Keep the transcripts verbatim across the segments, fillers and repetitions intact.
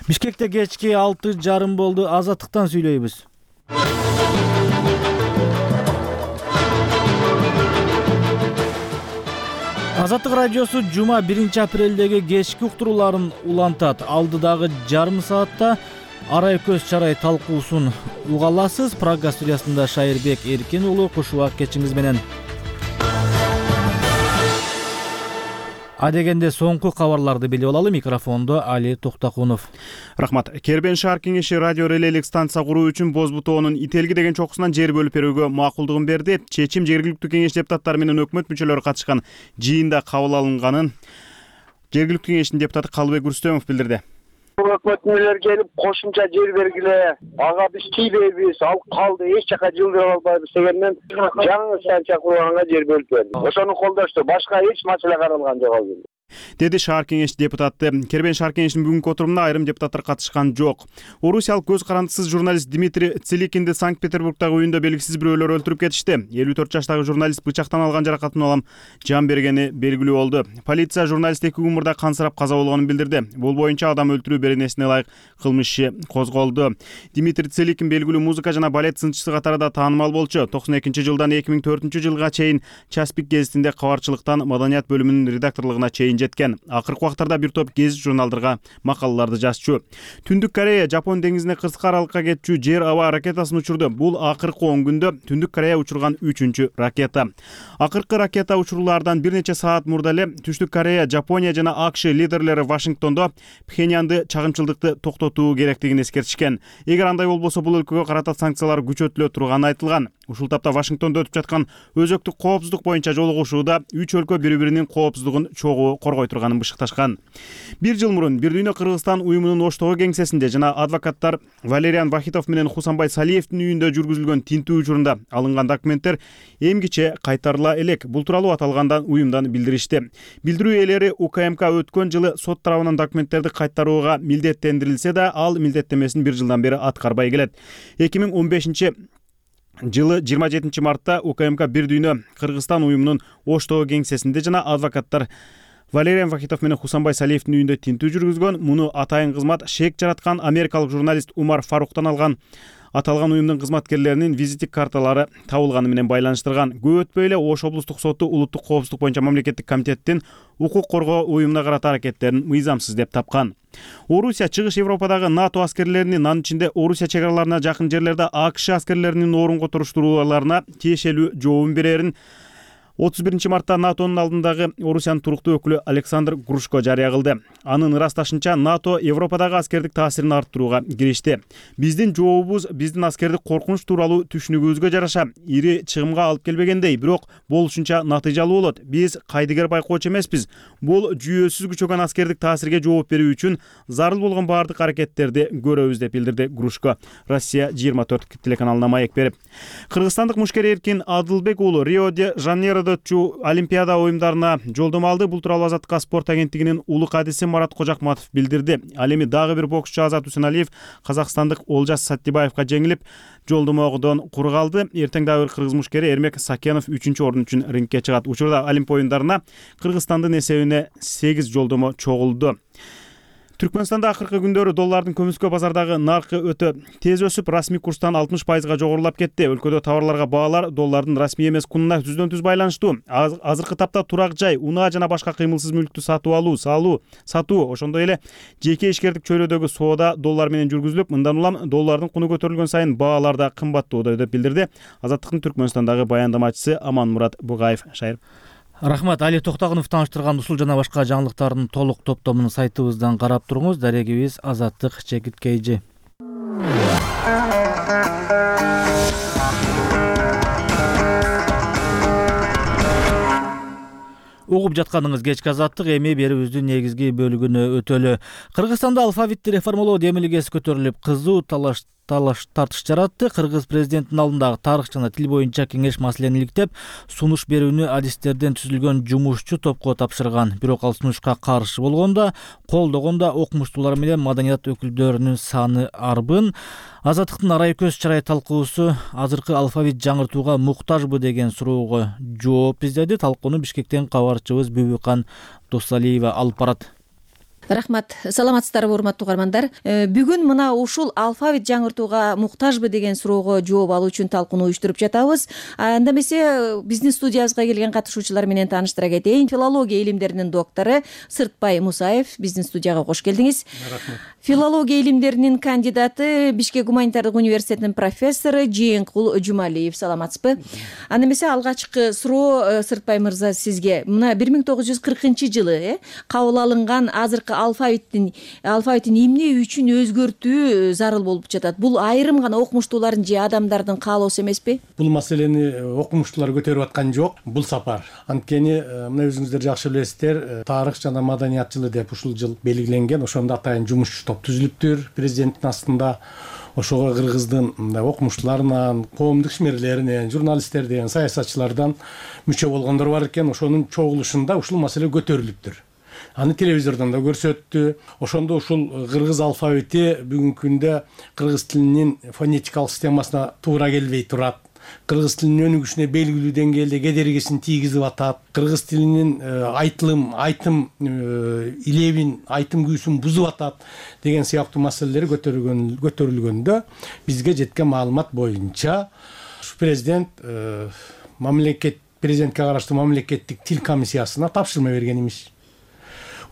Бишкекте кечки алты жарым болду. Азаттыктан сүйлөйбүз. Азаттык радиосу жума биринчи апрелдеги кечки уктурууларын улантат. Алдыдагы жарым саатта арай көз чарай талкуусун уга аласыз. Прага студиясында Шайырбек Эркин уулу куш убак кечиңиз менен. Адегенде соңку кабарларды билип алалы. Микрофондо Али Токтакунов. Рахмат. Кербен шаар кеңеши радио релейлик станция куруу үчүн Боз бутоонун Ителги деген чокусунан жер бөлүп берүүгө макулдугун берди. Чечим жергиликтүү кеңеш депутаттары менен өкмөт мүчөлөрү катышкан жыйында кабыл алынганын жергиликтүү кеңештин депутаты Калыбек Рүстөмов билдирди. Өкмөт мүчөлөрү келип кошумча жер бергиле, ага биз тийбейбиз, ал калды, эч жака жылдырып албайбыз дегенден жаңы станция курганга жер бөлүп берди. Ошону колдошту, башка эч маселе каралган жок ал жерде, деди шаар кеңеш депутаты. Кербен шаар кеңешинин бүгүнкү отурумуна айрым депутаттар катышкан жок. Орусиялык көз карандысыз журналист Дмитрий Целикинди Санкт-Петербургдагы үйүндө белгисиз бирөөлөр өлтүрүп кетишти. элүү төрт жаштагы журналист бычактан алган жаракатын улам жан бергени белгилүү болду. Полиция журналист эки күн мурда кансырап каза болгонун билдирди. Бул боюнча адам өлтүрүү беренесине ылайык кылмыш иши козголду. Дмитрий Целикин белгилүү музыка жана балет сынчысы катары да таанымал болчу. токсон экинчи жылдан эки миң төртүнчү жылга чейин Часпик гезитинде кабарчылыктан маданият бөлүмүнүн редакторлугуна чейин жеткен. Акыркы убактарда бир топ гезит журналдарга макалаларды жазчу. Түндүк Корея Жапон деңизине кырсык аралыкка кетчү жер аба ракетасын учурду. Бул акыркы он күндө Түндүк Корея учурган үчүнчү ракета. Акыркы ракета учурлардан бир нече саат мурда эле Түштүк Корея, Жапония жана АКШ лидерлери Вашингтондо Пхеньянды чагымчылдыкты токтотуу керектигин эскертишкен. Эгер андай болбосо бул өлкөгө карата санкциялар күчөтүлө турганы айтылган. Ушул тапта Вашингтондо өтүп жаткан өзөктүк коопсуздук боюнча жолугушууда үч өлкө бири-биринин коопсуздугун чогуу коргой турганын бышыкташкан. Бир жыл мурун Бир дүйнө Кыргызстан уюмунун Оштогу кеңсесинде жана адвокаттар Валериан Вахитов менен Хусанбай Салиевдин үйүндө жүргүзүлгөн тинтүү учурунда алынган документтер эмгиче кайтарыла элек. Бул тууралуу аталган уюмдан билдиришти. Билдирүү ээлери УКМК өткөн жылы сот тарабынан документтерди кайтарууга милдеттендирилсе да, ал милдеттемесин бир жылдан бери аткарбай келет. эки миң он бешинчи жылы жыйырма жетинчи мартта УКМК Бир дүйнө Кыргызстан уюмунун Оштогу кеңсесинде жана адвокаттар Валериан Вахитов менен Хусанбай Салиевдин үйүндө тинтүү жүргүзгөн. Муну атайын кызмат шек жараткан америкалык журналист Умар Фаруктан алган. Аталган уюмдун кызматкерлеринин визиттик карталары табылганы менен байланыштырган. Көп өтпөй эле Ош облустук соту улуттук коопсуздук боюнча мамлекеттик комитеттин укук коргоо уюмуна карата аракеттерин мыйзамсыз деп тапкан. Орусия чыгыш Европадагы НАТО аскерлеринин, анын ичинде Орусия чек араларына жакын жерлерде АКШ аскерлеринин орунго туруштурууларына тиешелүү жообун берерин отуз биринчи мартта НАТОнун алдындагы Орусиянын туруктуу өкүлү Александр Грушко жарыя кылды. Анын ырасташынча НАТО Европадагы аскердик таасирин арттырууга киришти. Биздин жообубуз биздин аскердик коркунуч тууралуу түшүнүгүбүзгө жараша ири чыгымга алып келбегендей, бирок болушунча натыйжалуу болот. Биз кайдыгер байкоочу эмеспиз. Бул жүйөсүз күчөгөн аскердик таасирге жооп берүү үчүн зарыл болгон баардык аракеттерди көрөбүз деп билдирди Грушко. Россия жыйырма төрт телеканалына маек берип. Кыргызстандык мушкер Эркин Адылбек уулу Рио-де-Жанейро Олимпиада оюмдарына жолдомо алды. Бул тууралуу Азаттыкка спорт агенттигинин улук адиси Марат Кожакматов билдирди. Ал эми дагы бир боксчу Азат Усеналиев казакстандык Олжас Саттибаевка жеңилип, жолдомодон кур калды. Эртең дагы бир кыргыз мушкери Эрмек Сакенов үчүнчү орун үчүн рингке чыгат. Учурда Олимп оюндарына Кыргызстандын эсебине сегиз жолдомо чогулду. Түркмөнстанда акыркы күндөрү доллардын көмүскө базардагы наркы өтө тез өсүп, расмий курстан алтымыш пайызга жогорулап кетти. Өлкөдө товарларга баалар доллардын расмий эмес кунуна түздөн түз байланыштуу. Азыркы тапта турак жай, унаа жана башка кыймылсыз мүлктү сатып алуу, салуу, сатуу, ошондой эле жеке ишкердик чөйрөдөгү соода доллар менен жүргүзүлүп, мындан улам доллардын куну көтөрүлгөн сайын баалар да кымбаттоодо деп билдирди Азаттыктын Түркмөнстандагы баяндамачысы Аманмурат Бугаев. Шайыр. Рахмат. Али Токтакунов тааныштырган ушул жана башка жаңылыктардын толук топтомун сайтыбыздан карап туруңуз. Дарегибиз Азаттык Чекиткейжи. Угуп жатканыңыз кечки Азаттык, эми берүүбүздүн негизги бөлүгүнө өтөлү. Кыргызстанда алфавитти реформалоо демилгеси көтөрүлүп, кызуу талаш талаш тартыш жаратты. Кыргыз президентинин алдындагы тарых жана тил боюнча кеңеш маселени иликтеп, сунуш берүүнү адистерден түзүлгөн жумушчу топко тапшырган. Бирок ал сунушка каршы болгондо, колдогондо окумуштуулар менен маданият өкүлдөрүнүн саны арбын. Азаттыктын арай көз чарай талкуусу азыркы алфавит жаңыртууга муктажбы деген суроого жооп издеди. Талкууну Бишкектен кабарчыбыз Бүбүкан Досалиева алып барат. Рахмат. Саламатсыздарбы, урматтуу угармандар. Бүгүн мына ушул алфавит жаңыртууга муктажбы деген суроого жооп алуу үчүн талкуу уюштуруп жатабыз. Анда эмесе биздин студиябызга келген катышуучулар менен тааныштыра кетейин. Филология илимдеринин доктору Сыртбай Мусаев биздин студияга кош келдиңиз. Рахмат. Филология илимдеринин кандидаты, Бишкек гуманитардык университетинин профессору Жээнкул Жумалиев. Саламатсызбы? Анда эмесе алгачкы суроо Сыртбай мырза сизге. Мына бир миң тогуз жүз кыркынчы жылы кабыл алынган азыркы алфавиттин алфавитин эмне үчүн өзгөртүү зарыл болуп жатат? Бул айрым гана окумуштуулардын же адамдардын каалоосу эмеспи? Бул маселени окумуштуулар көтөрүп аткан жок бул сапар. Анткени мына өзүңүздөр жакшы билесиздер, тарых жана маданият жылы деп ушул жыл белгиленген. Ошондо атайын жумушчу топ түзүлүптүр президенттин астында. Ошого кыргыздын мындай окумуштууларынан, коомдук ишмерлеринен, журналисттерден, саясатчылардан мүчө болгондор бар экен. Ошонун чогулушунда ушул маселе көтөрүлүптүр. Аны телевизордон да көрсөттү. Ошондо ушул кыргыз алфавити бүгүнкү күндө кыргыз тилинин фонетикалык системасына туура келбей турат. Кыргыз тилинин өнүгүшүнө белгилүү деңгээлде кедергисин тийгизип атат. Кыргыз тилинин айтылым, айтым илебин, айтым күйүүсүн бузуп атат деген сыяктуу маселелер көтөрүлгөн көтөрүлгөндө бизге жеткен маалымат боюнча президент мамлекет президентке караштуу мамлекеттик тил комиссиясына тапшырма берген имиш.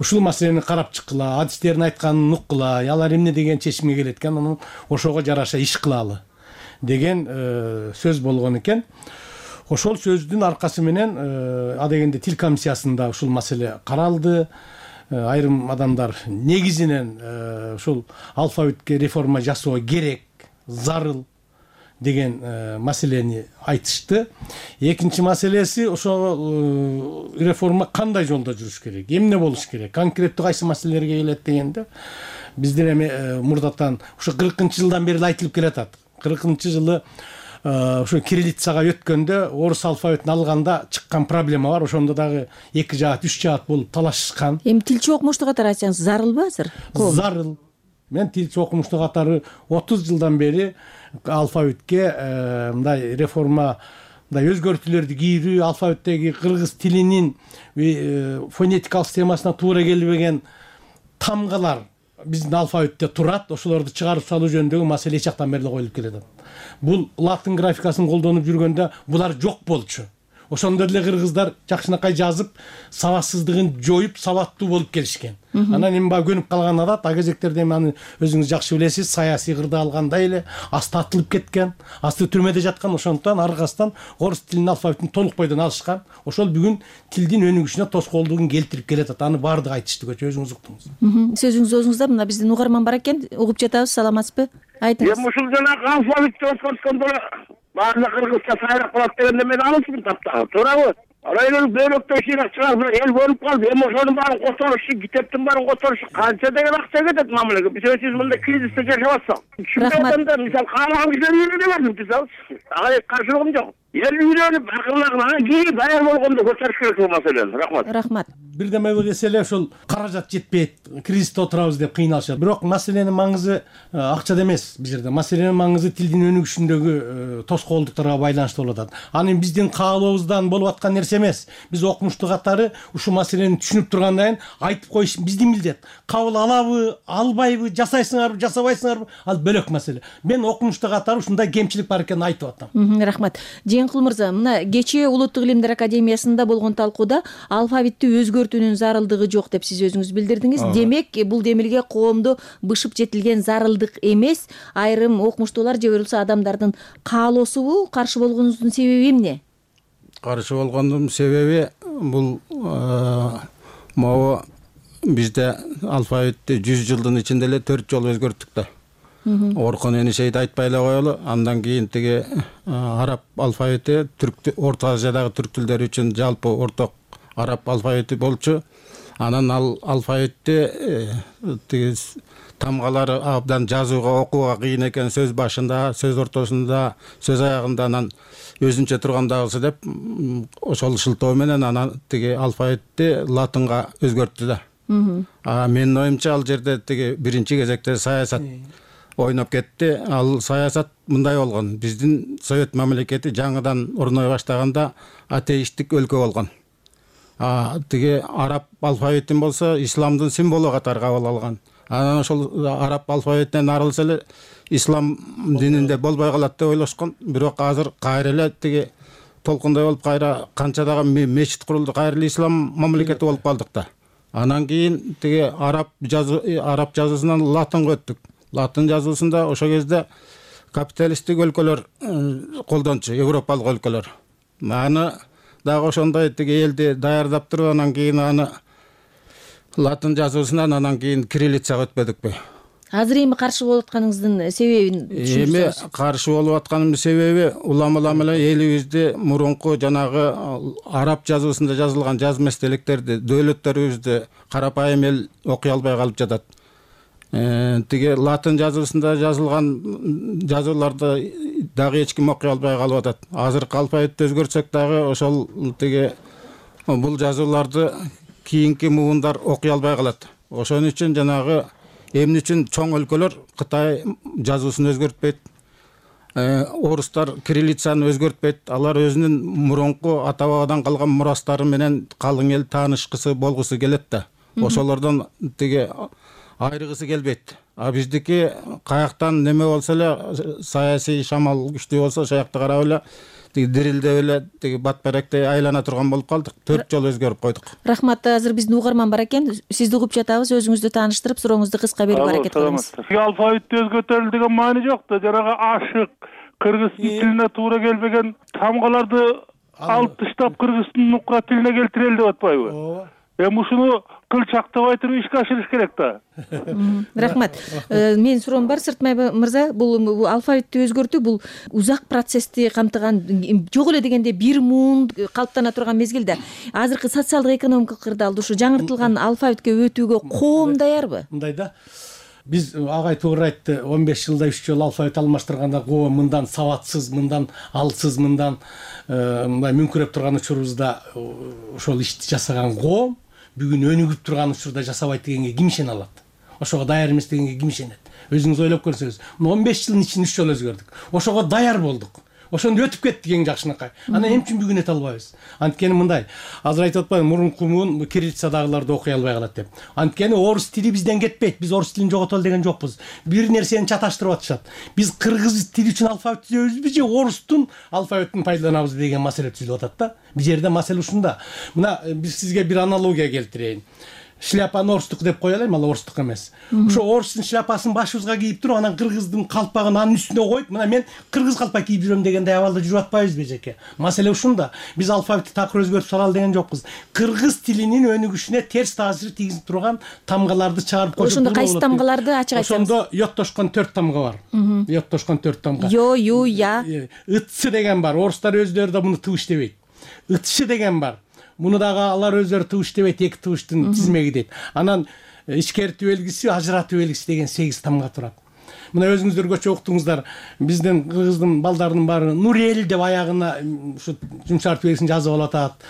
Ушул маселени карап чыккыла, адистердин айтканын уккыла, алар эмне деген чечимге келет экен, анан ошого жараша иш кылалы деген сөз болгон экен. Ошол сөздүн аркасы менен адегенде тил комиссиясында ушул маселе каралды. Айрым адамдар негизинен ушул алфавитке реформа жасоо керек, зарыл деген маселени айтышты. Экинчи маселеси ошол реформа кандай жолдо жүрүш керек, эмне болуш керек, конкреттүү кайсы маселелерге келет дегенде биздин эми мурдатан ушу кыркынчы жылдан бери айтылып келатат. кыркынчы жылы ошо кириллицага өткөндө орус алфавитин алганда чыккан проблема бар. Ошондо дагы эки жаат, үч жаат болуп талашышкан. Эми тилчи окумуштуу катары айтсаңыз, зарылбы азыр? Зарыл. Мен тилчи окумуштуу катары отуз жылдан бери алфавитке мындай реформа, мындай өзгөртүүлөрдү кийрүү, алфавиттеги кыргыз тилинин фонетикалык системасына туура келбеген тамгалар биздин алфавитте турат. Ошолорду чыгарып салуу жөнүндөгү маселе эч жактан бери коюлуп келет. Бул латын графикасын колдонуп жүргөндө булар жок болчу. Ошондо деле кыргыздар жакшынакай жазып, сабатсыздыгын жоюп, сабаттуу болуп келишкен. Анан эми баягы көнүп калган адат, а кезектерде эми аны өзүңүз жакшы билесиз, саясий кырда алгандай эле асты атылып кеткен, асты түрмөдө жаткан. Ошондуктан аркасынан орус тилинин алфавитин толук бойдон алышкан. Ошол бүгүн тилдин өнүгүшүнө тоскоолдугун келтирип келет. Аны баардыгы айтышты, өзүңүз уктуңуз. Сөзүңүз өзүңүздө, мына биздин угарман бар экен, угуп жатабыз. Саламатсызбы? Айтыңыз. Эми ушул жанагы алфавитти өткөрткөндө баардык кыргызча сайрак болот дегенде мен алысмын таптагы. Туурабы? Арайлар бөлөктөй шыйрак чыгарып эл бөлүп калды. Эми ошонун баарын которушу, китептин баарын которушу канча деген акча кетет мамлекетке. Биз өзүбүз мындай кризисте жашап атсак. Рахмат. Мисалы каалаган кишилер үйрөнүп бардым, мисалы. Ага каршылыгым жок. Эл үйрөнүп, акыллаган кийин даяр болгондо көтөрүш керек бул маселени. Рахмат. Рахмат. Бирдеме эсе эле ушул каражат жетпейт, кризисте отурабыз деп кыйналышат. Бирок маселенин маңызы акчада эмес бул жерде. Маселенин маңызы тилдин өнүгүшүндөгү тоскоолдуктарга байланыштуу болуп атат. Аны биздин каалообуздан болуп аткан нерсе эмес. Биз окумуштуу катары ушул маселени түшүнүп тургандан кийин айтып коюш биздин милдет. Кабыл алабы, албайбы, жасайсыңарбы, жасабайсыңарбы, ал бөлөк маселе. Мен окумуштуу катары ушундай кемчилик бар экенин айтып атам. Рахмат. Жээнкул мырза, мына кечээ Улуттук илимдер академиясында болгон талкууда алфавитти өзгөртүүнүн зарылдыгы жок деп сиз өзүңүз билдирдиңиз. Демек, бул демилге коомдо бышып жетилген зарылдык эмес, айрым окумуштуулар же болбосо адамдардын каалоосубу? Каршы болгонуңуздун себеби эмне? Каршы болгондун себеби бул могу бизде алфавитти жүз жылдын ичинде эле төрт жолу өзгөрттүк да. Оркун Энишейди айтпай эле коелу. Андан кийин тиги араб алфавити түрк Орто Азиядагы түрк тилдери үчүн жалпы орток араб алфавити болчу. Анан ал алфавитти тиги тамгалары абдан жазууга, окууга кыйын экен, сөз башында, сөз ортосунда, сөз аягында анан өзүнчө тургандагысы деп ошол шылтоо менен анан тиги алфавитти латынга өзгөрттү да. А менин оюмча ал жерде тиги биринчи кезекте саясат ойноп кетти. Ал саясат мындай болгон. Биздин Совет мамлекети жаңыдан орной баштаганда атеисттик өлкө болгон. А тиги араб алфавитин болсо исламдын символу катары кабыл алган. Анан ошол араб алфавитинен арылса эле ислам дининде болбой калат деп ойлошкон. Бирок азыр кайра эле тиги толкундай болуп кайра канча дагы мечит курулду, кайра эле ислам мамлекети болуп калдык да. Анан кийин тиги араб жазуу араб жазуусунан латынга өттүк. Латын жазуусунда ошол кезде капиталисттик өлкөлөр колдончу, европалык өлкөлөр. Аны дагы ошондой тиги элди даярдап туруп, анан кийин аны латын жазуусунан анан кийин кириллицага өтпөдүкпү? Азыр эми каршы болуп атканыңыздын себебин Эми каршы болуп атканымдын себеби улам-улам эле элибизди мурунку жанагы араб жазуусунда жазылган жазма эстеликтерди дөөлөттөрүбүздү карапайым эл окуй албай калып жатат. Тиги латын жазуусунда жазылган жазууларды дагы эч ким окуй албай калып атат. Азыркы алфавитти өзгөртсөк дагы ошол тиги бул жазууларды кийинки муундар окуй албай калат. Ошон үчүн жанагы эмне үчүн чоң өлкөлөр Кытай жазуусун өзгөртпөйт, орустар кириллицаны өзгөртпөйт. Алар өзүнүн мурунку ата бабадан калган мурастары менен калың эл таанышкысы болгусу келет да. Ошолордон тиги айрыгысы келбейт. А биздики каяктан неме болсо эле, саясий шамал күчтүү болсо, ошол жакта карап эле тиги дирилдеп эле тиги батберектей айлана турган болуп калдык. Төрт жолу өзгөрүп койдук. Рахмат. Азыр биздин угарман бар экен. Сизди угуп жатабыз. Өзүңүздү тааныштырып, сурооңузду кыска берүүгө аракет кылыңыз. Алфавитти өзгөртөлү деген маани жок да. Жанагы ашык, кыргыз тилине туура келбеген тамгаларды алып таштап кыргыздын нукра тилине келтирели деп атпайбы? Ооба. Эми ушуну кылчактабай туруп ишке ашырыш керек да. Рахмат. Менин суроом бар, Сыртмай мырза. Бул алфавитти өзгөртүү бул узак процессти камтыган, жок эле дегенде бир муун калыптана турган мезгилде азыркы социалдык экономикалык кырдаалда ушу жаңыртылган алфавитке өтүүгө коом даярбы? Мындай да. Биз агай туура айтты, он беш жылда үч жолу алфавит алмаштырганда коом мындан сабатсыз, мындан алсыз, мындан мындай мүңкүрөп турган учурубузда ошол ишти жасаган коом бүгүн өнүгүп турган учурда жасабайт дегенге ким ишене алат? Ошого даяр эмес дегенге ким ишенет? Өзүңүз ойлоп көрсөңүз, он беш жылдын ичинде үч жолу өзгөрдүк. Ошого даяр болдук. Ошондо өтүп кеттик эң жакшынакай. Анан эмне үчүн бүгүн өтө албайбыз? Анткени мындай, азыр айтып атпаймынбы, мурунку муун кириллицадагыларды окуй албай калат деп. Анткени орус тили бизден кетпейт. Биз орус тилин жоготолу деген жокпуз. Бир нерсени чаташтырып атышат. Биз кыргыз тили үчүн алфавит түзөбүзбү же орустун алфавитин пайдаланабызбы деген маселе түзүлүп атат да. Бул жерде маселе ушунда. Мына биз сизге бир аналогия келтирейин. Шляпаны орустук деп кое алайм, ал орустук эмес. Ошо орустун шляпасын башыбызга кийип туруп, анан кыргыздын калпагын анын үстүнө коюп, мына мен кыргыз калпак кийип жүрөм дегендей абалда жүрүп атпайбызбы эжеке? Маселе ушунда. Биз алфавитти такыр өзгөртүп салалы деген жокпуз. Кыргыз тилинин өнүгүшүнө терс таасир тийгизип турган тамгаларды чыгарып койсок. Ошондо кайсы тамгаларды ачык айтсаңыз? Ошондо йоттошкон төрт тамга бар. Йоттошкон төрт тамга. Yo, ю, я. Ытсы деген бар. Орустар өздөрү да муну тыбыш дебейт. Ытшы деген бар. Муну дагы алар өздөрү тыбыш дебейт, эки тыбыштын тизмеги дейт. Анан ичкертүү белгиси, ажыратуу белгиси деген сегиз тамга турат. Мына өзүңүздөр көчө уктуңуздар, биздин кыргыздын балдарынын баары Нурел деп аягына ушу жумшартуу белгисин жазып алып атат.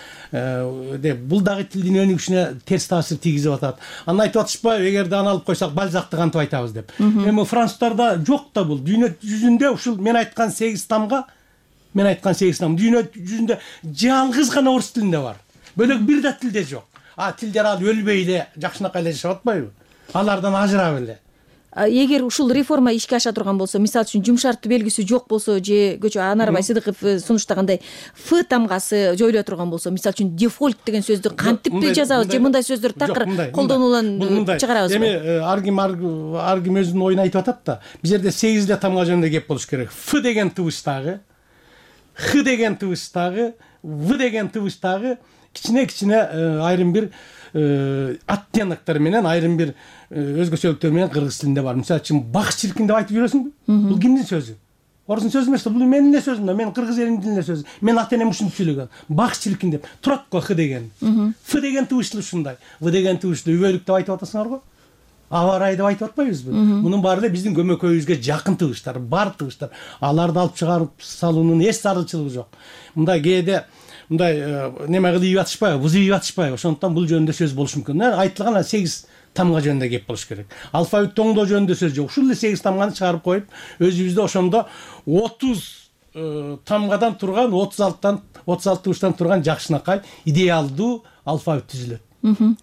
Деп бул дагы тилдин өнүгүшүнө терс таасир тийгизип атат. Анан айтып атышпайбы, эгерде аны алып койсок Бальзакты кантип айтабыз деп. Эми француздарда жок да бул. Дүйнө жүзүндө ушул мен айткан сегиз тамга, мен айткан сегиз тамга дүйнө жүзүндө жалгыз гана орус тилинде бар. Бөлөк бир да тилде жок. А тилдер ал өлбөй эле жакшынакай эле жашап атпайбы? Алардан ажырап эле. Эгер ушул реформа ишке аша турган болсо, мисалы үчүн жумшартуу белгиси жок болсо же көчө Анарбай Сыдыков сунуштагандай Ф тамгасы жоюла турган болсо, мисалы үчүн дефолт деген сөздү кантип жазабыз же мындай сөздөр такыр колдонулуан чыгарабызбы? Эми ар ким ар ким өзүнүн оюн айтып атат да. Бул жерде сегиз эле тамга жөнүндө кеп болуш керек. Ф деген тыбыштагы, Х деген тыбыштагы, В деген тыбыштагы кичине-кичине айрым бир оттенктер менен, айрым бир өзгөчөлүктөр менен кыргыз тилинде бар. Мисалы үчүн бак чиркин деп айтып жүрөсүңбү? Бул кимдин сөзү? Орустун сөзү эмес да, бул менин эле сөзүм да, мен кыргыз элинин тилинде сөзү. Мен ата энем ушинтип сүйлөгөн. Бак чиркин деп турат го Х деген. Ф деген тыбыштуу ушундай. В деген тыбыштуу үбөлүк деп айтып атасыңар го. Аба ырайы деп айтып атпайбызбы? Мунун баары эле биздин көмөкөйүбүзгө жакын тыбыштар, бар тыбыштар. Аларды алып чыгарып салуунун эч зарылчылыгы жок. Мындай кээде мындай неме кылып атышпайбы, бузуп атышпайбы? Ошондуктан бул жөнүндө сөз болуш мүмкүн. Айтылган сегиз тамга жөнүндө кеп болуш керек. Алфавит тоңдоо жөнүндө сөз жок. Ушул эле сегиз тамганы чыгарып коюп, өзүбүздө ошондо отуз тамгадан турган, отуз алтыдан отуз алты тыбыштан турган жакшынакай идеалдуу алфавит түзүлөт.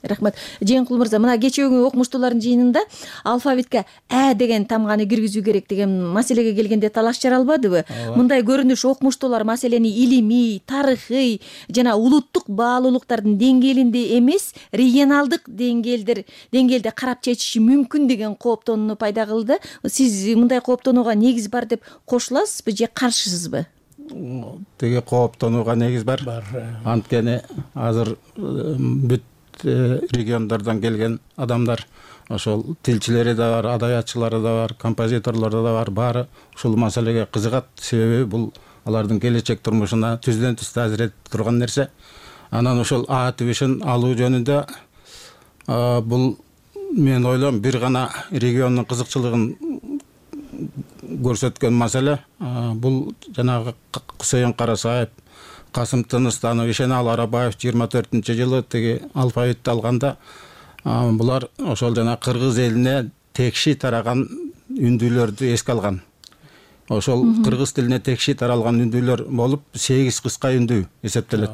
Рахмат. Жээнкул мырза, мына кечээүгү окумуштуулардын жыйынында алфавитке ә деген тамганы киргизүү керек деген маселеге келгенде талаш жаралбадыбы? Мындай көрүнүш окумуштуулар маселени илимий, тарыхый жана улуттук баалуулуктардын деңгээлинде эмес, регионалдык деңгээлдер деңгээлде карап чечиши мүмкүн деген кооптонууну пайда кылды. Сиз мындай кооптонууга негиз бар деп кошуласызбы же каршысызбы? Теге кооптонууга негиз бар. Бар. Анткени азыр бүт региондардан келген адамдар, ошол тилчилери да бар, адаятчылары да бар, композиторлору да бар, баары ушул маселеге кызыгат. Себеби бул алардын келечек турмушуна түздөн түз таасир этип турган нерсе. Анан ошол А тибишин алуу жөнүндө бул мен ойлойм бир гана региондун кызыкчылыгын көрсөткөн маселе. Бул жанагы Кусейин Карасаев, Касым Тыныстанов, Ишенал Арабаев жыйырма төртүнчү жылы тиги алфавитти алганда булар ошол жана кыргыз элине текши тараган үндүүлөрдү эске алган. Ошол кыргыз тилине текши таралган үндүүлөр болуп сегиз кыска үндүү эсептелет.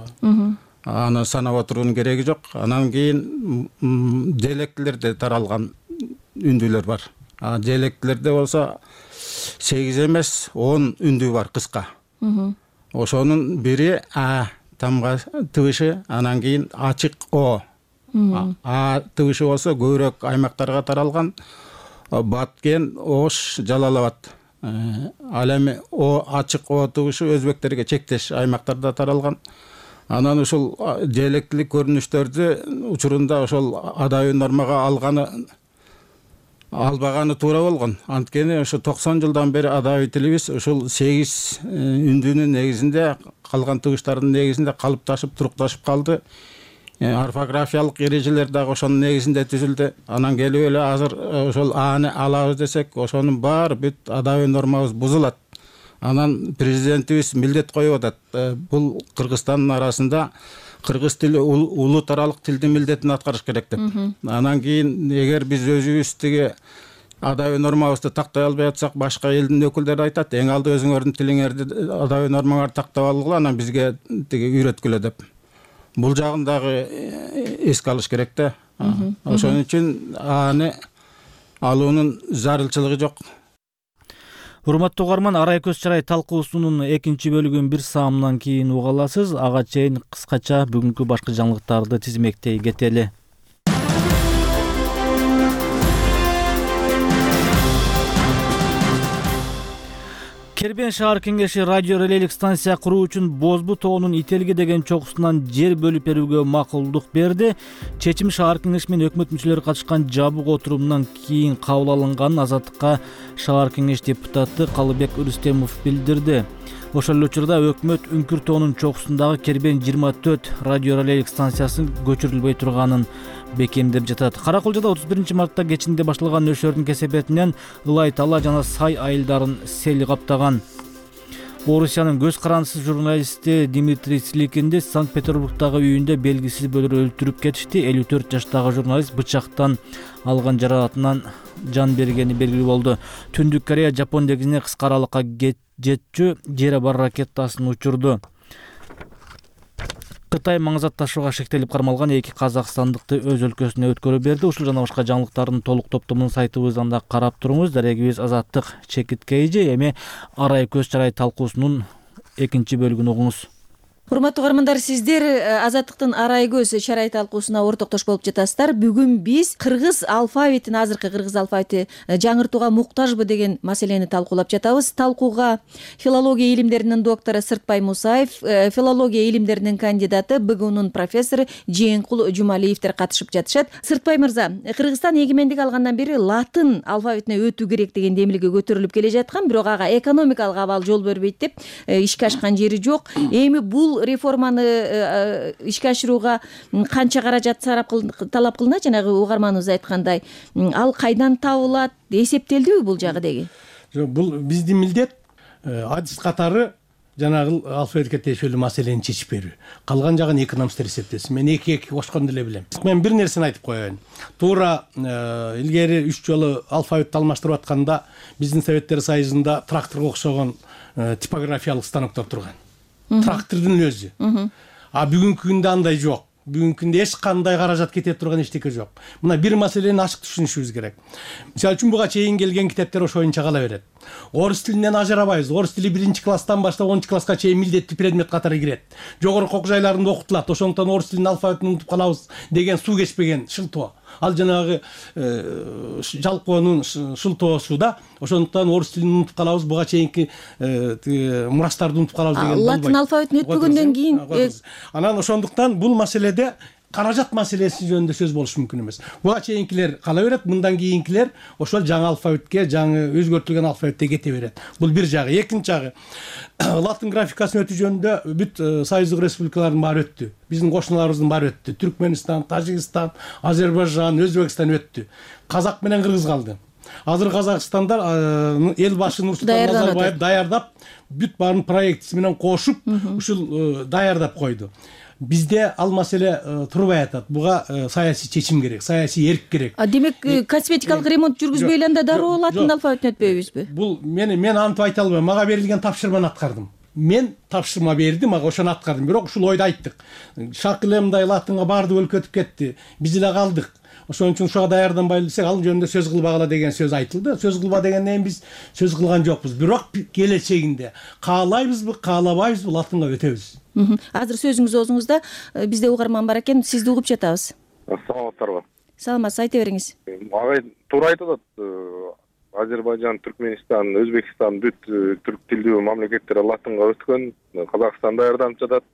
Аны санап отуруунун кереги жок. Анан кийин диалектилерде таралган үндүүлөр бар. А диалектилерде болсо сегиз эмес он үндүү бар кыска. Ошонун бири А тамга тыбышы, анан кийин ачык О. А тыбышы болсо көбүрөөк аймактарга таралган. Баткен, Ош, Жалал-Абад. Ал эми О ачык О тыбышы өзбектерге чектеш аймактарда таралган. Анан ушул диалектилик көрүнүштөрдү учурунда ошол адабий нормага алганы албаганы туура болгон. Анткени ошо токсон жылдан бери адабий тилибиз ушул сегиз үндүүнүн негизинде, калган тыбыштардын негизинде калыпташып, турукташып калды. Орфографиялык эрежелер дагы ошонун негизинде түзүлдү. Анан келип эле азыр ошол Аны алабыз десек, ошонун баары бүт адабий нормабыз бузулат. Анан президентибиз милдет коюп атат. Бул Кыргызстандын арасында кыргыз тили улут аралык тилдин милдетин аткарыш керек деп. Анан кийин эгер биз өзүбүз тиги адабий нормабызды тактай албай атсак, башка элдин өкүлдөрү айтат, эң алды өзүңөрдүн тилиңерди адабий нормаңарды тактап алгыла, анан бизге тиги үйрөткүлө деп. Бул жагын дагы эске алыш керек да. Ошон үчүн аны алуунун зарылчылыгы жок. Урматтуу угарман, Арай көз чарай талкуусунун экинчи бөлүгүн бир саамдан кийин уга аласыз. Ага чейин кыскача бүгүнкү башкы жаңылыктарды тизмектей кетели. Кербен шаар кеңеши радио релейлик станция куруу үчүн Бозбу тоонун Ителги деген чокусунан жер бөлүп берүүгө макулдук берди. Чечим шаар кеңеши менен өкмөт мүчөлөрү катышкан жабык отурумунан кийин кабыл алынганын Азаттыкка шаар кеңеш депутаты Калыбек Рүстемов билдирди. Ошол эле учурда өкмөт Үңкүр тоонун чокусундагы Кербен жыйырма төрт радио релейлик станциясын көчүрүлбөй турганын бекемдеп жатат. Каракулжада отуз биринчи мартта кечинде башталган нөшөрдүн кесепетинен Ылай тала жана Сай айылдарын сел каптаган. Орусиянын көз карандысыз журналисти Дмитрий Циликинди Санкт-Петербургдагы үйүндө белгисиз бөлөр өлтүрүп кетишти. элүү төрт жаштагы журналист бычактан алган жаракатынан жан бергени белгилүү болду. Түндүк Корея Жапон деңизине кыска аралыкка жетчү жери бар ракетасын учурду. Кытай маңызат ташууга шектелип кармалган эки казакстандыкты өз өлкөсүнө өткөрүп берди. Ушул жана башка жаңылыктардын толук топтомун сайтыбыздан да карап туруңуз. Дарегибиз Азаттык чекиткейжи. Эми Арай көз чарай талкуусунун экинчи бөлүгүн угуңуз. Урматтуу угармандар, сиздер Азаттыктын Арай көз чарай талкуусуна ортоктош болуп жатасыздар. Бүгүн биз кыргыз алфавитин, азыркы кыргыз алфавити жаңыртууга муктажбы деген маселени талкуулап жатабыз. Талкууга филология илимдеринин доктору Сыртбай Мусаев, филология илимдеринин кандидаты, БГУнун профессору Жээнкул Жумалиевдер катышып жатышат. Сыртбай мырза, Кыргызстан эгемендик алгандан бери латын алфавитине өтүү керек деген демилге көтөрүлүп келе жаткан, бирок ага экономикалык абал жол бербейт деп ишке ашкан жери жок. Эми бул реформаны ишке ашырууга канча каражат сарап талап кылынат? Жанагы угарманыбыз айткандай, ал кайдан табылат, эсептелдиби бул жагы деги? Жок, бул биздин милдет адис катары жанагы алфавитке тиешелүү маселени чечип берүү. Калган жагын экономисттер эсептесин. Мен эки эки кошконду эле билем. Мен бир нерсени айтып коеюн. Туура илгери үч жолу алфавитти алмаштырып атканда биздин Советтер Союзунда тракторго окшогон типографиялык станоктор турган. Трактордун өзү. А бүгүнкү күндө андай жок. бүгүнкү күндө эч кандай каражат кете турган эчтеке жок. Мына бир маселени ачык түшүнүшүбүз керек. Мисалы үчүн буга чейин келген китептер ошоюнча кала берет. Орус тилинен ажырабайбыз. Орус тили биринчи класстан баштап онунчу класска чейин милдеттүү предмет катары кирет. Жогорку окуу жайларында окутулат. Ошондуктан орус тилинин алфавитин унутуп калабыз деген суу кечпеген шылтоо. Ал жанагы жалпоонун шылтоосу да. Ошондуктан орус тилин унутуп калабыз, буга чейинки мурастарды унутуп калабыз деген болбойт. Латын алфавитин өтпөгөндөн кийин анан ошондуктан бул маселеде каражат маселеси жөнүндө сөз болуш мүмкүн эмес. Буга чейинкилер кала берет, мындан кийинкилер ошол жаңы алфавитке, жаңы өзгөртүлгөн алфавитте кете берет. Бул бир жагы. Экинчи жагы, латын графикасын өтүү жөнүндө бүт союздук республикалардын баары өттү. Биздин кошуналарыбыздын баары өттү. Түркмөнстан, Тажикстан, Азербайжан, Өзбекстан өттү. Казак менен кыргыз калды. Азыр Казакстанда эл башы Нурсултан Назарбаев даярдап, бүт баарын проектиси менен кошуп, ушул даярдап койду. Бизде ал маселе турбай атат. Буга саясий чечим керек, саясий эрк керек. А демек косметикалык ремонт жүргүзбөй эле анда дароо латын алфавитин өтпөйбүзбү? Бул мен мен антип айта албайм. Мага берилген тапшырманы аткардым. Мен тапшырма берди, мага ошону аткардым. Бирок ушул ойду айттык. Шак эле мындай латынга баардык өлкө өтүп кетти. Биз эле калдык. Ошон үчүн ушуга даярданбай элсек, ал жөнүндө сөз кылбагыла деген сөз айтылды. Сөз кылба дегенден биз сөз кылган жокпуз. Бирок келечегинде каалайбызбы, каалабайбызбы латынга өтөбүз. Азыр сөзүңүз оозуңузда, бизде угарман бар экен, сизди угуп жатабыз. Саламатсыздарбы? Саламатсыз, айта бериңиз. Агай туура айтып атат. Азербайжан, Түркмөнстан, Өзбекстан бүт түрк тилдүү мамлекеттер латынга өткөн, Казакстан даярданып жатат.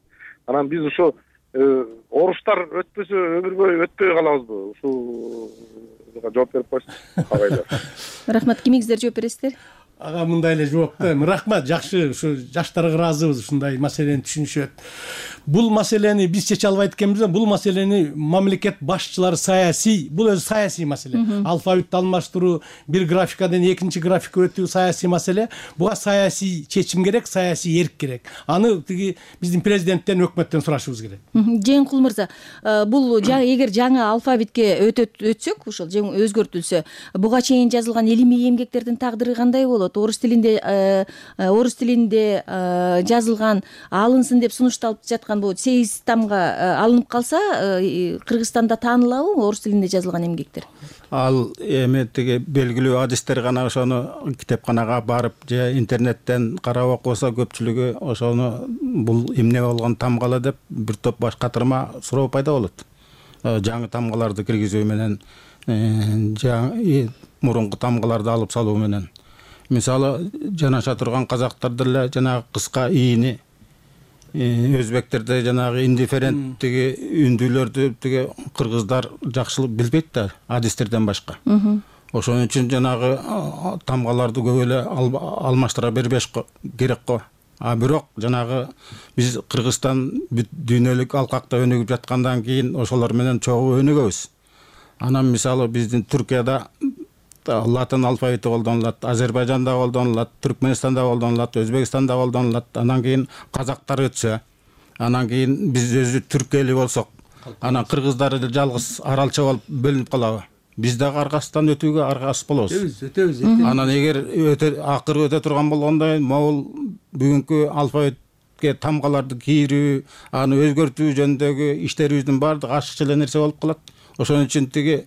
Анан биз ушу оруштар өтпөсө өмүр бою өтпөй калабызбы? Ушуга жооп берип койсуң. Агайлар. Рахмат, кимиңиздер жооп бересиздер? Ага мындай эле жооп да. Рахмат, жакшы, ушу жаштарга ыраазыбыз ушундай маселени түшүнүшөт. Бул маселени биз чече албайт экенбиз, бул маселени мамлекет башчылары саясий, бул өзү саясий маселе. Алфавитти алмаштыруу, бир графикадан экинчи графикка өтүү саясий маселе. Буга саясий чечим керек, саясий эрк керек. Аны тиги биздин президенттен, өкмөттөн сурашыбыз керек. Жеңкул мырза, бул эгер жаңы алфавитке өтсөк, ушул өзгөртүлсө, буга чейин жазылган илимий эмгектердин тагдыры кандай болот? Орус тилинде орус тилинде жазылган алынсын деп сунушталып жаткан бул сегиз тамга алынып калса, Кыргызстанда таанылабы орус тилинде жазылган эмгектер? Ал эми тиги белгилүү адистер гана ошону китепканага барып же интернеттен карап окуса, көпчүлүгү ошону бул эмне болгон тамгала деп бир топ баш катырма суроо пайда болот. Жаңы тамгаларды киргизүү менен, мурунку тамгаларды алып салуу менен. Мисалы, жанаша турган казактар деле жанагы кыска ийини, өзбектерде жанагы индифферент тиги үндүүлөрдү тиги кыргыздар жакшы билбейт да, адистерден башка. Ошон үчүн жанагы тамгаларды көп эле алмаштыра бербеш керек го. А бирок жанагы биз Кыргызстан бүт дүйнөлүк алкакта өнүгүп жаткандан кийин ошолор менен чогуу өнүгөбүз. Анан мисалы биздин Түркияда латын алфавити колдонулат, Азербайжанда колдонулат, Түркмөнстанда колдонулат, Өзбекстанда колдонулат. Анан кийин казактар өтсө, анан кийин биз өзү түрк эли болсок, анан кыргыздар жалгыз аралча болуп бөлүнүп калабы? Биз дагы аркасынан өтүүгө аргасыз болобуз. Өтөбүз, өтөбүз. Анан эгер акыры өтө турган болгондо, могул бүгүнкү алфавитке тамгаларды кийирүү, аны өзгөртүү жөнүндөгү иштерибиздин баардыгы ашыкча эле нерсе болуп калат. Ошон үчүн тиги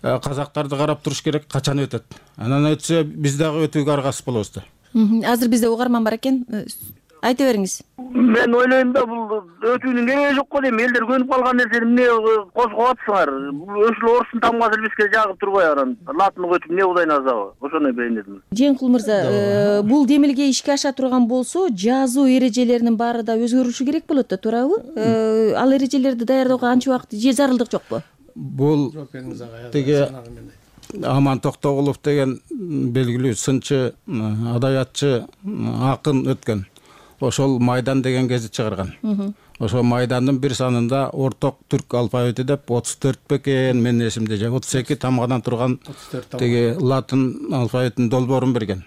казактарды карап туруш керек, качан өтөт. Анан өтсө биз дагы өтүүгө аргасыз болобуз да. Азыр бизде угарман бар экен. Айта бериңиз. Мен ойлойм да, бул өтүүнүн кереги жок го дейм. Элдер көнүп калган нерсени эмне козгоп атсыңар? Ошол орустун тамгасы бизге жагып турбай анан латынга өтүп эмне кылайын азабы? Ошону байындым. Жеңкул мырза, бул демилге ишке аша турган болсо, жазуу эрежелеринин баары да өзгөрүшү керек болот да, туурабы? Ал эрежелерди даярдоого анча убакыт же зарылдык жокпу? Бул тиги Аман Токтогулов деген белгилүү сынчы, адаятчы, акын өткөн. Ошол Майдан деген гезит чыгарган. Ошол Майдандын бир санында орток түрк алфавити деп отуз төрт бекен, менин эсимде же отуз эки тамгадан турган тиги латын алфавитинин долбоорун берген.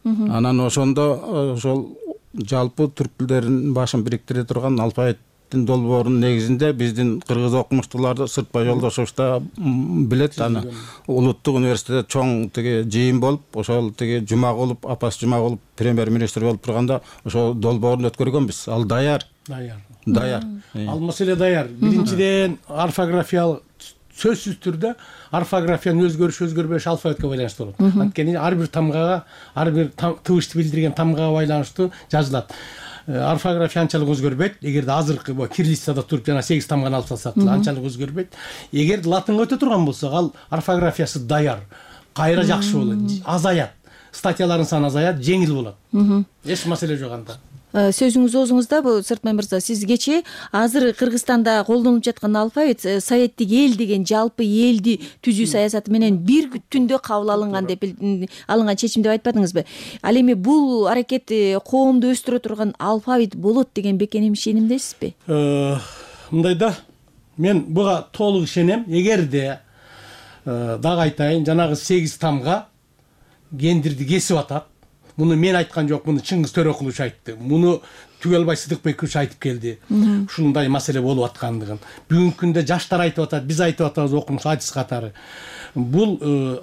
Анан ошондо ошол жалпы түрк тилдеринин башын бириктире турган алфавит долбоорунун негизинде биздин кыргыз окумуштууларды Сыртбай Жолдошович да билет, аны улуттук университетте чоң тиги жыйын болуп, ошол тиги Жумагулов, Апас Жумагулов премьер-министр болуп турганда ошол долбоорун өткөргөнбүз. Ал даяр. Даяр. даяр. Ал маселе даяр. Биринчиден орфографиялык сөзсүз түрдө орфографиянын өзгөрүшү өзгөрбөшү алфавитке байланыштуу болот. Анткени ар бир тамгага, ар бир тыбышты билдирген тамгага байланыштуу жазылат. Орфография анчалык өзгөрбөйт. Эгерде азыркы бу кириллицада туруп жана сегиз тамганы алып салсак деле анчалык өзгөрбөйт. Эгерде латынга өтө турган болсок, ал орфографиясы даяр, кайра жакшы болот, азаят. Статьялардын саны азаят, жеңил болот. Эч маселе жок анда. Сөзүңүз оозуңузда, бул Сыртмай мырза, сиз кечээ азыр Кыргызстанда колдонулуп жаткан алфавит советтик эл деген жалпы элди түзүү саясаты менен бир түндө кабыл алынган деп алынган чечим деп айтпадыңызбы? Ал эми бул аракет коомду өстүрө турган алфавит болот деген бекем ишенимдесизби? Мындай да, мен буга толук ишенем. Эгерде дагы айтайын, жанагы сегиз тамга гендирди кесип атат. Муну мен айткан жок, муну Чыңгыз Төрөкулович айтты. Муну Түгөлбай Сыдыкбекович айтып келди. Ушундай маселе болуп аткандыгын. Бүгүнкү күндө жаштар айтып атат, биз айтып атабыз окумуш адис катары. Бул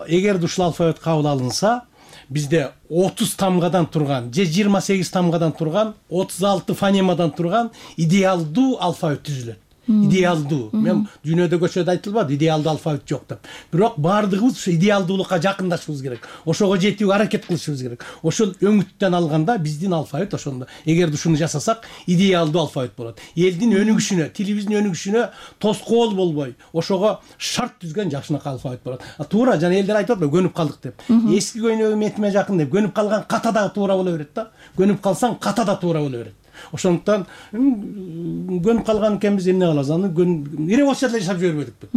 эгерде ушул алфавит кабыл алынса, бизде отуз тамгадан турган, же жыйырма сегиз тамгадан турган, отуз алты фонемадан турган идеалдуу алфавит түзүлөт. Идеалдуу. Мен дүйнөдө көчөдө айтылбады, идеалдуу алфавит жок деп. Бирок баардыгыбыз ушу идеалдуулукка жакындашыбыз керек. Ошого жетүүгө аракет кылышыбыз керек. Ошол өңүттөн алганда биздин алфавит ошондо. Эгерде ушуну жасасак, идеалдуу алфавит болот. Элдин өнүгүшүнө, тилибиздин өнүгүшүнө тоскоол болбой, ошого шарт түзгөн жакшынакай алфавит болот. Туура, жана элдер айтып атпайбы, көнүп калдык деп. Эски көйнөгү метиме жакын деп, көнүп калган ката да туура боло берет да. Көнүп калсаң ката да туура боло берет. Ошондуктан көнүп калган экенбиз, эмне кылабыз? Аны революция деле жашап жибербедикпи?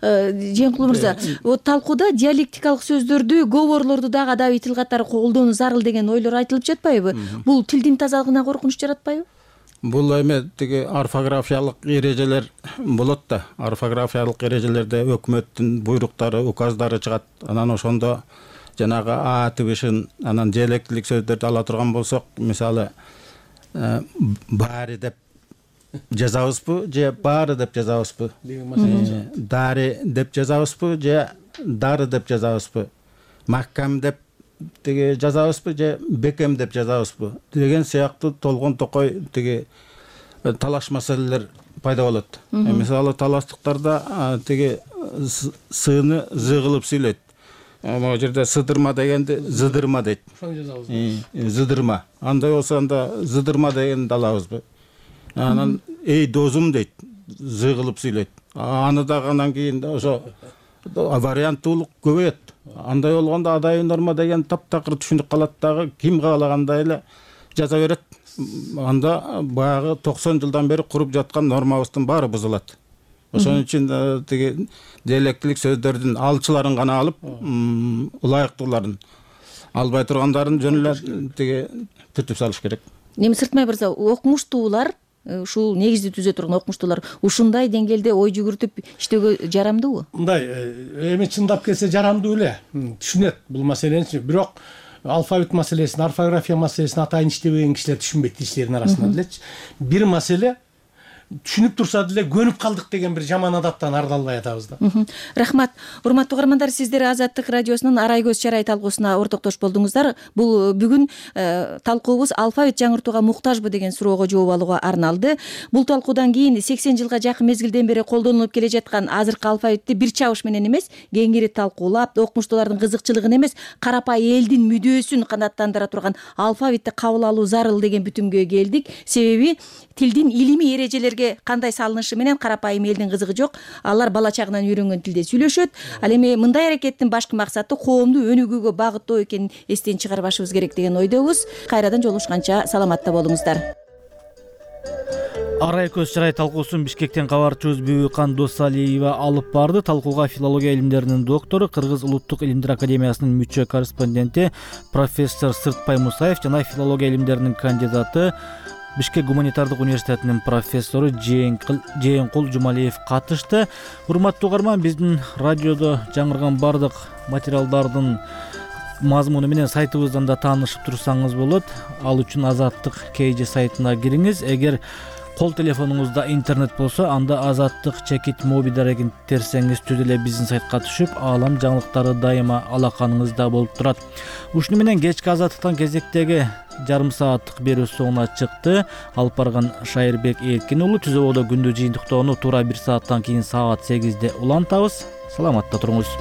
Жээнкул мырза, талкууда диалектикалык сөздөрдү, говорлорду дагы адабий тил катары колдонуу зарыл деген ойлор айтылып жатпайбы? Бул тилдин тазалыгына коркунуч жаратпайбы? Бул эме тиги орфографиялык эрежелер болот да. Орфографиялык эрежелерде өкмөттүн буйруктары, указдары чыгат. Анан ошондо жанагы а тибишин, анан диалектилик сөздөрдү ала турган болсок, мисалы баары деп жазабызбы, же баары деп жазабызбы? Дари деп жазабызбы, же дары деп жазабызбы? Маккам деп тиги жазабызбы, же бекем деп жазабызбы? Деген сыяктуу толгон токой тиги талаш маселелер пайда болот. Мисалы талаштыктарда тиги сыны зы кылып сүйлөйт. Могу жерде сыдырма дегенди зыдырма дейт. Ошону жазабыз. Зыдырма. Андай болсо анда зыдырма дегенди алабызбы? Анан эй досум дейт, зы кылып сүйлөйт. Аны дагы анан кийин ошо варианттуулук көбөйөт. Андай болгондо адай норма деген таптакыр түшүнүк калат дагы, ким каалагандай эле жаза берет. Анда баягы токсон жылдан бери куруп жаткан нормабыздын баары бузулат. Ошон үчүн тиги диалектилик сөздөрдүн алчыларын гана алып, ылайыктууларын албай тургандарын жөн эле тиги түртүп салыш керек. Эми Сыртмай мырза, окумуштуулар, ушул негизди түзө турган окумуштуулар ушундай деңгээлде ой жүгүртүп иштөөгө жарамдуубу? Мындай, эми чындап келсе жарамдуу эле. Түшүнөт бул маселени, бирок алфавит маселесин, орфография маселесин атайын иштебеген кишилер түшүнбөйт тилчилердин арасында делечи. Бир маселе түшүнүп турса деле көнүп калдык деген бир жаман адаттан арыла албай атабыз да. Рахмат. Урматтуу угармандар, сиздер Азаттык радиосунун Арай көз чарай талкуусуна ортоктош болдуңуздар. Бул бүгүн талкуубуз алфавит жаңыртууга муктажбы деген суроого жооп алууга арналды. Бул талкуудан кийин сексен жылга жакын мезгилден бери колдонулуп келе жаткан азыркы алфавитти бир чабыш менен эмес, кеңири талкуулап, окумуштуулардын кызыкчылыгын эмес, карапай элдин мүдөөсүн канааттандыра турган алфавитти кабыл алуу зарыл деген бүтүмгө келдик. Себеби тилдин илимий эрежелерге кандай салынышы менен карапайым элдин кызыгы жок. Алар бала чагынан үйрөнгөн тилде сүйлөшөт. Ал эми мындай аракеттин башкы максаты коомду өнүгүүгө багыттоо экенин эстен чыгарбашыбыз керек деген ойдобуз. Кайрадан жолугушканча саламатта болуңуздар. Арай көз чарай талкуусун Бишкектен кабарчыбыз Бүбүкан Досалиева алып барды. Талкууга филология илимдеринин доктору, Кыргыз улуттук илимдер академиясынын мүчө корреспонденти профессор Сыртпай Мусаев жана филология илимдеринин кандидаты, Бишкек гуманитардык университетинин профессору Жээнкул Жумалиев катышты. Урматтуу угарман, биздин радиодо жаңырган бардык материалдардын мазмуну менен сайтыбыздан да таанышып турсаңыз болот. Ал үчүн Азаттык кей же сайтына кириңиз. Эгер Кол телефонуңузда интернет болсо, анда Азаттык чекит моби дарегин терсеңиз түз эле биздин сайтка түшүп, аалам жаңылыктары дайыма алаканыңызда болуп турат. Ушуну менен кечки Азаттыктан кезектеги жарым сааттык берүү соңуна чыкты. Алып барган Шайырбек Эркин уулу. Түз абада күндү жыйынтыктоону туура бир сааттан кийин саат сегизде улантабыз. Саламатта туруңуз.